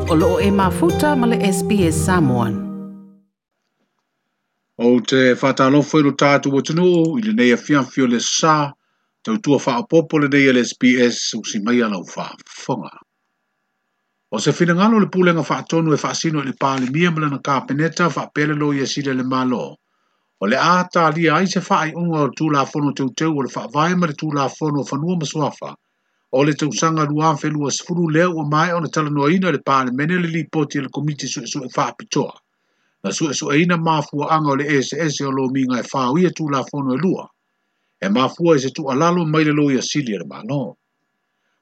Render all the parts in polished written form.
O loo e mafuta ma le SBS Samoan. Ou te faatalofa i lo tatou atunuu i lenei afiafi o le sa, tautua faaopoopo lenei a le SBS usi mai a lau faafofoga. O se finagalo o le Pulega Faatonu e faasino i le Palemia ma lana Kapeneta faapea le Loia Sili a le Malo, o le a talia ai se faaiuga o le Tulafono Teuteu o le Faavae ma le Tulafono o Fanua ma Suafa o le tausaga 2020 lea ua maea ona talanoaina e le Palemene le Lipoti a le Komiti Suesue Faapitoa na suesueina mafuaaga o le eseese o lomiga e fao ia Tulafono e lua e mafua i se tuualalo mai le Loia Sili a le Malo.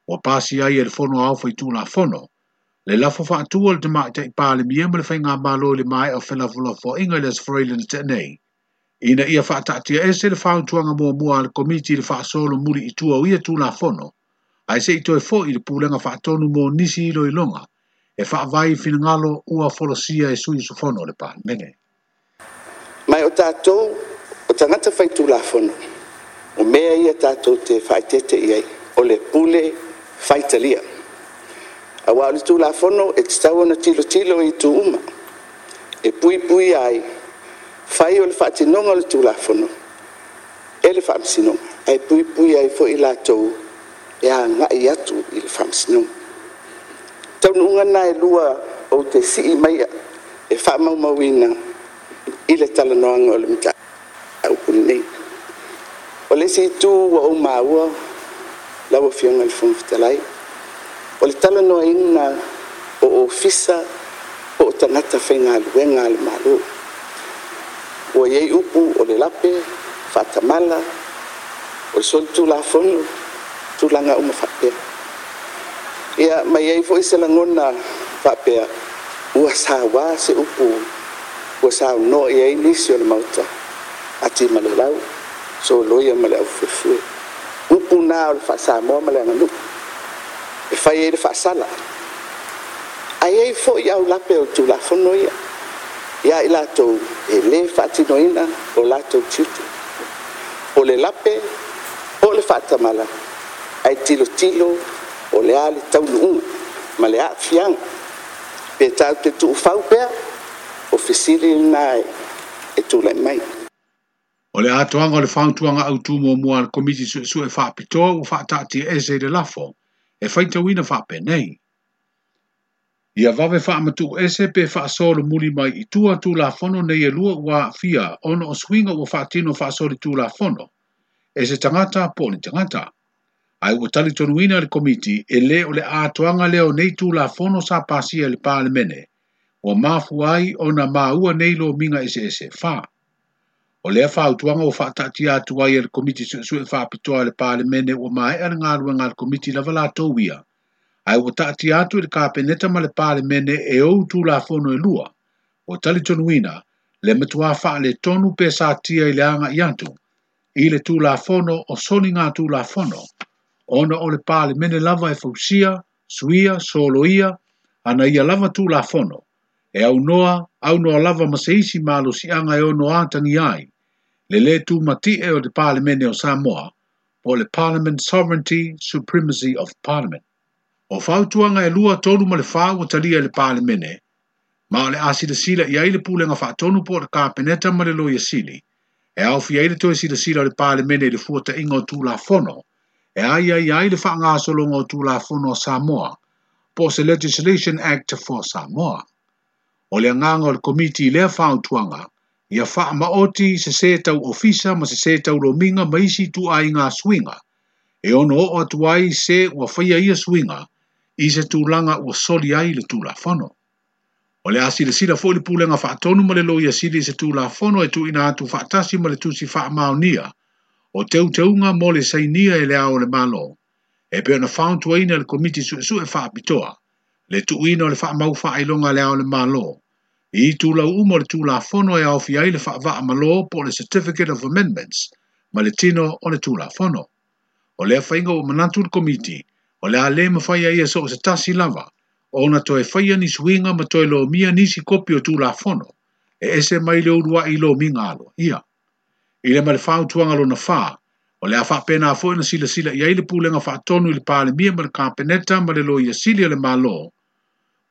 Ua pasia ai e le Fono Aoao Faitulafono le lafo faatu a le Tamaitai Palemia ma le Faigamalo i le maea o felafolafoaiga i le Aso Faraile na tea nei, ina ia faataatiaese le fautuaga muamua a le Komiti i le faasolo muli i tua o ia Tulafono, ae se i toe foi i le Pulega Faatonu mo nisi iloiloga e faavae i finagalo ua folasia e sui usufono o le Palemene. Ma o tatou o tagata faitulafono, o mea ia tatou te faaeteete i ai, o le pule faitalia. Aua o le Tulafono e tatau ona tilotilo i itu uma, e puipuia ai, fai o le faatinoga o le Tulafono e le Faamasinoga, ae puipuia ai foi i latou e agai atu i le Faamasinoga. Taunuuga na e lua ou te sii maia e faamaumauina i le talanoaga o le mataupu lenei. O le isi itu ua ou maua lau Afioga i le Fofoga Fetalai, o le talanoaina o ofisa po o tagata faigaluega a le Malo. Ua i ai upu o le lape, faatamala, o le solitulafono, tulaga uma faapea. Ia, ma i ai foi se lagona faapea, ua saua se upu ua saunoa i ai nisi o le Maota, ati ma le lau, soloia ma le aufuefue. Upu na o le faa-Samoa ma le aganuu, e fai ai le faasala. Ae i ai foi aulape o le Tulafono ia, ia i latou e le faatinoina o latou tiute. O le lape po o le faatamala, ae tilotilo o le a le taunuuga ma le aafiaga. Pe tatou te tuufau pea, o fesili lena e tulai mai. O le atoaga o le fautuaga autu muamua a le Komiti Suesue Faapitoa ua faataatiaese i le lafo e faitauina faapenei. Ia vave faamatuuese pe faasolomuli mai i tua Tulafono nei e lua ua aafia ona o suiga ua faatino faasolitulafono e se tagata po o ni tagata. Ae ua talitonuina le Komiti e le o le atoaga lea o nei Tulafono sa pasia i le Palemene ua mafua ai ona maua nei lomiga eseese e fa. O lea fautuaga ua faataatia atu ai e le Komiti Suesue Faapitoa a le Palemene ua maea le galuega a le Komiti lava latou ia, ae ua taatia atu i le Kapeneta ma le Palemene e ou Tulafono e lua, ua talitonuina le matua faaletonu pe satia i le agai atu i le Tulafono o Soligatulafono, ona o le Palemene lava e fausia, suia, soloia, ana ia lava Tulafono, e aunoa, aunoa lava ma se isi malosiaga e ono atagia ai, le lē tumatie o le Palemene o Samoa, po o le Parliament Sovereignty Supremacy of Parliament. O fautuaga e lua, tolu ma le fa ua talia e le Palemene, ma o le a silasila i ai le Pulega Faatonu po o le Kapeneta ma le Loia Sili, e aofia ai le toe silasila o le Palemene i le fuataiga o Tulafono, e aiaia ai le faagasologa o Tulafono a Samoa, po o se Legislation Act for Samoa. O le agaga o le Komiti i lea fautuaga, ia faamaoti sesē tau ofisa ma sesē tau lomiga ma isi ituaiga suiga, e ono oo atu ai se ua faia ia suiga i se tulaga ua soli ai le Tulafono. O le a silasila foi le Pulega Faatonu ma le Loia Sili i se Tulafono e tuuina atu faatasi ma le Tusi Faamaonia o Teuteuga mo le sainia e le Ao o le Malo, e pei ona fautuaina e le Komiti Suesue Faapitoa le tuuina o le faamau faailoga a le Ao o le Malo i itulau uma o le Tulafono e aofia ai le faavaa malo po o le Certificate of Amendments ma le tino o le Tulafono. O lea faiga ua manatu le Komiti o le a le mafai ai e so o se tasi lava ona toe faia ni suiga ma toe lomia nisi kopi o Tulafono e ese mai le uluai lomiga aloaia. I le ma le fautuaga lona fa, o le a faapena foi ona silasila i ai le Pulega Faatonu i le Palemia ma le Kapeneta ma le Loia Sili a le Malo,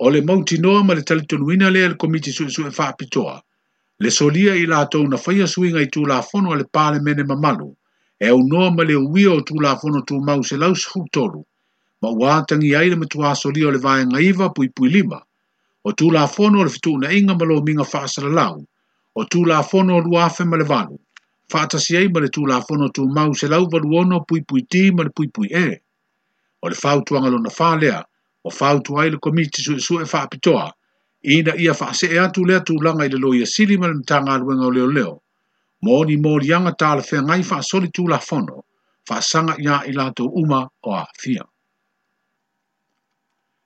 O le mautinoa ma le talitonuina lea e le Komiti Suesue Faapitoa, le solia i latou na faia suiga i Tulafono a le Palemene mamalu, e aunoa ma le uia o Tulafono Tumau 113, ma ua atagia ai le matua solia o le Vaega 9.5, o Tulafono o le Fetuunaiga ma Lomiga Faasalalau, o Tulafono 2008, faatasi ai ma le Tulafono Tumau 186.D ma le .E. O le fautuaga lona 4 lea, ua fautua ai le Komiti Suesue Faapitoa, ina ia faasee atu lea tulaga i le Loia Sili ma le Matagaluega o Leoleo, mo ni moliaga talafeagai faasoli Tulafono, faasaga iā i latou uma o aafia.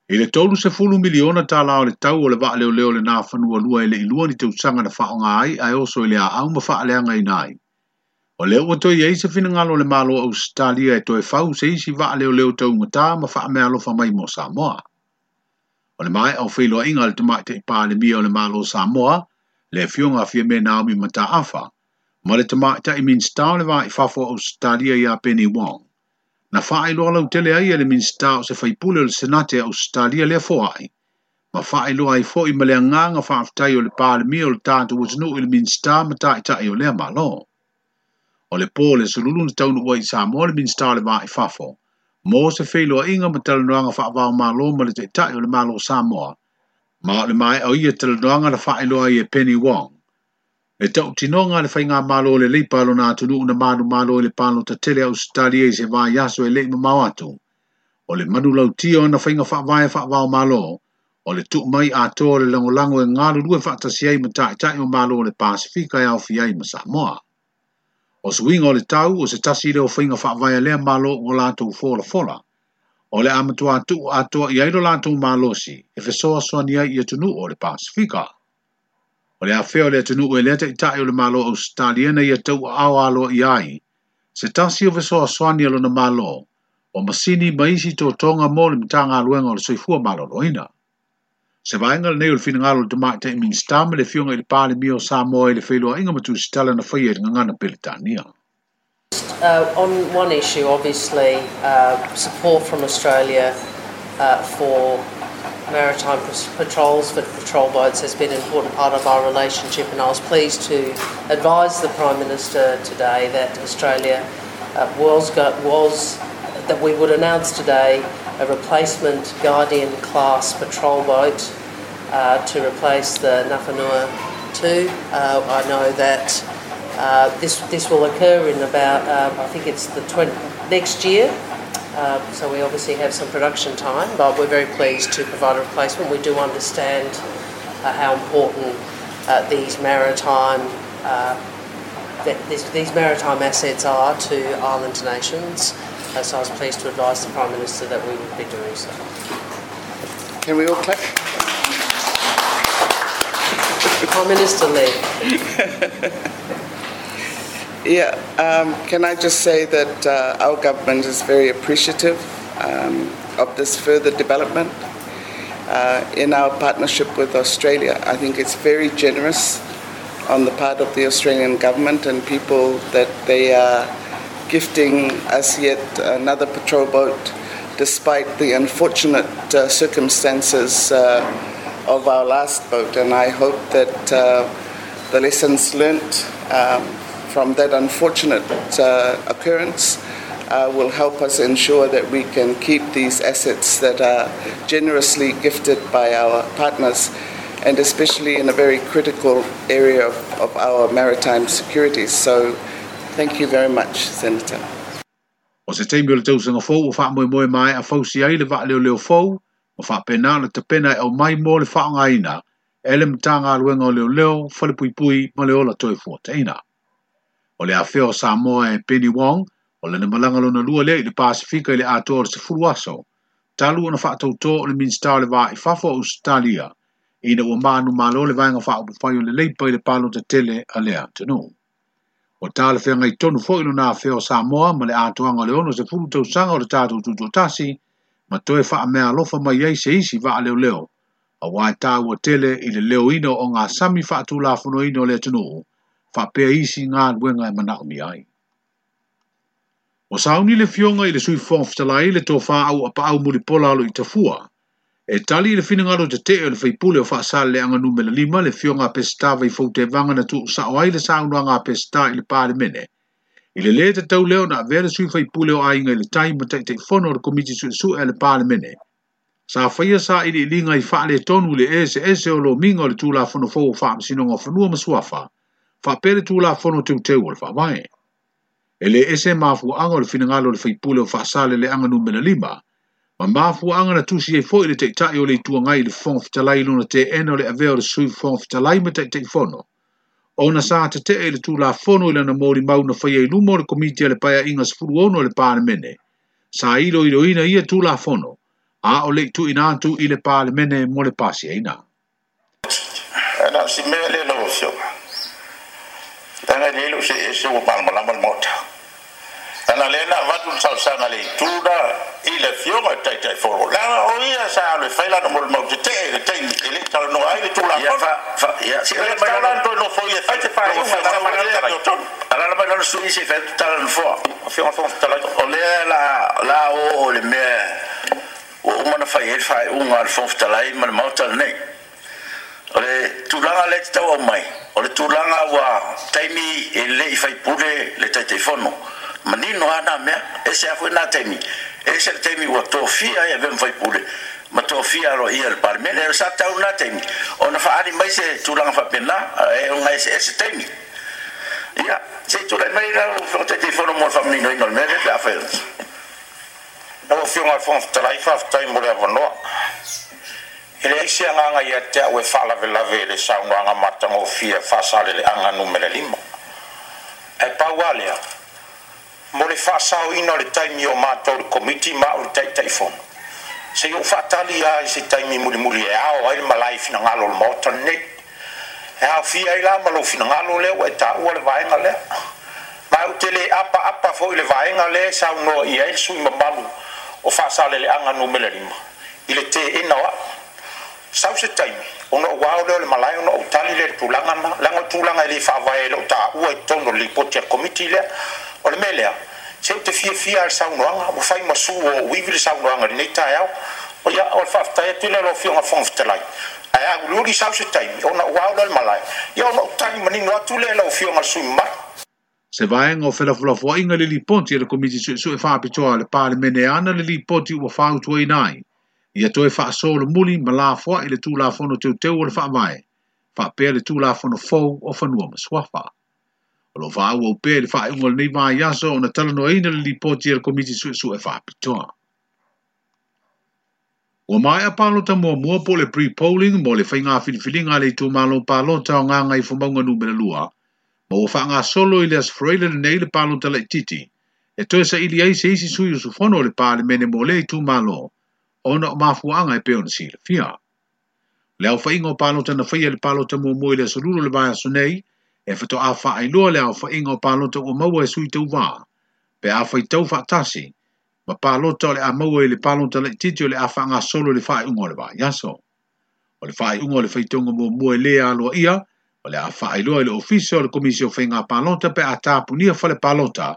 I le $30 miliona o le tau o le vaaleoleo le Nafanua lua e le i lua ni tausaga na faaaoga ai ae oso i le aau ma faaleagaina ai. O lea ua toe i ai se finagalo o le Malo o Ausetalia e toe fau se isi vaaleoleo taugata ma faameaalofa mai mo Samoa. O le maea o feiloaiga a le Tamaitai Palemia o le Malo o Samoa, le Afioga a Fiame Naomi Mataafa, ma le Tamaitai Minisita o le Va i Fafo o Ausetalia ia Penny Wong. Na faailoa lautele ai e le Minisita o se faipule o le Senate a Ausetalia lea foai, ma faailoa ai foi ma le agaga faafetai o le Palemia o le tatou atunuu i le Minisita ma taitai o lea Malo. O le po o le sululu na taunuu ai i Samoa le Minisita o le Va i Fafo, mo se feiloaiga ma talanoaga faavaomalo ma le taitai o le Malo o Samoa, ma o le maea o ia talanoaga na faailoa ai e Penny Wong. Le tautinoga a le faigamalo o le Leipa a lona atunuu na manumalo i le palota tele a Ausetalia i se vaiaso e le i mamao atu. O le manulautia o ana faiga faavae faavaomalo, o le tuu mai atoa o le lagolago e galulue faatasi ai ma taitai o Malo o le Pasefika e aofia ai ma Samoa. O suiga o le tau o se tasi lea o faiga faavae a lea Malo ua latou folafola. O le a matua tuu atoa i ai lo latou malosi e fesoasoani ai i atunuu o le Pasefika. O le afea o le atunuu e lea taitai o le Malo o Ausetalia na ia tauaao aloaia ai, se tasi o fesoasoani a lona Malo, o masini ma isi totoga mo le Matagaluega o le Soifua Maloloina. Se vaega lenei o le finagalo o le Tamaitai Minisita ma le Afioga i le Palemia o Samoa i le feiloaiga ma tusitala na faia i le gagana Peretania. On one issue, obviously, support from Australia for maritime patrols, for patrol boats, has been an important part of our relationship, and I was pleased to advise the Prime Minister today that Australia was, was that we would announce today a replacement Guardian class patrol boat to replace the Nafanua 2. I know that this will occur in about, I think it's the next year. So we obviously have some production time, but we're very pleased to provide a replacement. We do understand how important these maritime assets are to island nations. So I was pleased to advise the Prime Minister that we would be doing so. Can we all clap? Prime Minister Lee. Yeah, can I just say that our government is very appreciative of this further development in our partnership with Australia. I think it's very generous on the part of the Australian government and people that they are gifting us yet another patrol boat despite the unfortunate circumstances of our last boat. And I hope that the lessons learnt from that unfortunate occurrence will help us ensure that we can keep these assets that are generously gifted by our partners, and especially in a very critical area of our maritime security. So thank you very much, Senator. O se taimi o le tausaga fou ua faamoemoe maea fausi ai le vaaleoleo fou, ma faapena ona tapena e aumai mo le faaaogaina e le Matagaluega o Leoleo, Falepuipui ma le Ola Toefuataiga. O le afea o Samoa e Penny Wong, o lana malaga lona lua lea i le Pasefika i le atoa o le 10 aso, talu ona faatautō o le Minisita o le Va i Fafo o Ausetalia, ina ua manumalo le vaega faaupufai o le Leipa i le palota tele a lea atunuu. O talafeagai tonu foi lona afea o Samoa ma le atoaga o le 60 tausaga o le tatou tutoatasi, ma toe faameaalofa mai ai se isi vaaleoleo, auā e taua tele i le leoina o ogasami faatulafonoina o le atunuu, faapea isi galuega e manaomia ai. Ua sauni le Afioga i le Sui Fofoga Fetalai le Tofa Auuapaau Mulipola Aloitafua, E tali i le finagalo tetee o le faipule o Faasaleleaga Numera 5, le Afioga a Peseta Vaifou Tevaga na tuusao ai le saunoaga a Peseta i le Palemene, i le lē tatau lea ona avea le sui faipule o Aiga i le Tai ma Taitaifono o le Komiti Suesue a le Palemene, sa faia sailiiliga i faaletonu i le eseese o lomiga o le Tulafono fou o Faamasinoga o Fanua ma Suafa, faapea le Tulafono Teuteu o le Faavae. E lē ese mafuaaga o le finagalo o le faipule o Faasaleleaga Numera 5, ma mafuaaga na tusi ai foi le Taitai o le Itu Agai i le Fofoga Fetalai i lona teena o le avea o le Sui Fofoga Fetalai ma Taitaifono, ona sa tetee i le Tulafono i lana molimau na faia i luma o le Komiti a le Paeaiga 16 a le Palemene, sa iloiloina ia Tulafono, a o le i tuuina atu i le Palemene mo le pasiaina. Ae na o si mea lea lau Afioga, leaga e lelei lou see ese ua malamalama le Maota. Leaga lea na avatu le talosaga a le Itu la i le Afioga i le Taitaifono, leaga o ia sa alu e fai lana molimau tetee i le taimi e le i talanoa ai le Tulafono. E le tatau la ona toe nofoia e fai se faaiuga e sau ai lea amiotonu. Alaala mai lalo sui se i fai atu tala a le Nofoa. Afioga i le Fofoga Fetalai. O lea la a oo i le mea ua uma ona fai ai le faaiuga a le Fofoga Fetalai ma le Maota lenei. O le tulaga lea e tatau aumai, o le tulaga ua taimi e le i faipule le Taitaifono. Manino lava na mea, ese lava foi na taimi, ese le taimi ua tofia ai e avea ma faipule ma tofia aloaia e le Palemene. Sa tatau na taimi ona faaali mai se tulaga faapena, e ona eseese taimi. Ia, se i tulai mai lau Afioga Taitaifono mo le faamaninoina o le mea lea pe afai o. Lau Afioga i le Fofoga Fetalai, faafetai mo le avanoa. E leai se agaga ia te au e faalavelave i le saunoaga matagofie a Faasaleleaga Numera 5. Ae pau lava lea, mo le faasaoina o le taimi o matou i le Komiti ma au i le Taitaifono, se i ou faatali lava i se taimi mulimuli e ao ai le malae i finagalo o le Maota lenei. E aofia ai la ma lou finagalo lea ua e taua le vaega lea. Ma ou te le apaapa foi i le vaega lea e saunoa i ai le sui usufono mamalu o Faasaleleaga Numera 5 i le teena o au. Sau se taimi, ona ou ao lea o le malae ona ou tali lea i le tulaga lena, leaga o le tulaga e le faavae ai lou taua i totonu o le lipoti a le Komiti lea. O le mea lea, se ou te fiafia lava i le saunoaga, ua fai ma su o ou ivi le saunoaga i lenei taeao. Ia, o le faafetai atu lea i lau Afioga i le Fofoga Fetalai. Ae auliuli sau se taimi ona ou ao lea o le malae, ia ona ou tali manino atu lea i lau Afioga i le sui usufono mamalu. Se vaega o felafolafoaiga i le Lipoti a le Komiti Suesue Faapitoa a le Palemene e ana le Lipoti ua fautuaina ai ia toe faasolomuli ma lafoai le Tulafono Teuteu o le Faavae faapea le Tulafono fou o Fanua ma Suafa. O lo o faaauau pea i le faaiuga o lenei vaiaso ona talanoaina le Lipoti a le Komiti Suesue Faapitoa. Ua maea palota muamua po o le pre-polling mo le faiga filifiliga a le itumalo palota o Gagaifomauga Numera 2, ma ua faagasolo i le Aso Faraile lenei le palota laitiiti e toe saili ai se isi sui usufono o le Palemene mo lea itumalo ona o mafuaaga e pei ona silafia. O le aofaiga o palota na faia i le palota muamua i le Aso Lulu o le vaiaso nei, e faatoa faailoa le aofaiga o palota ua maua e sui tauva pe a faitau faatasi ma palota o le a maua i le palota laitiiti o le a faagasolo i le faaiuga o le vaiaso. O le faaiuga o le faitauga muamua e le aloaia, o le a faailoa i le Ofisa o le Komisi o Faiga Palota pe a tapunia fale palota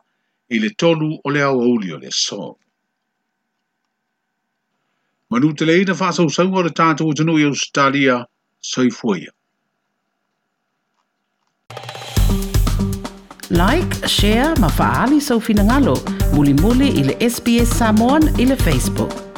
i le 3 o le aoauli o le aso. Manuteleina faasausauga o le tatou atunuu i Ausetalia, soifua ia. Like, share ma faaali sou finagalo mulimuli i le SBS Samoan i le Facebook.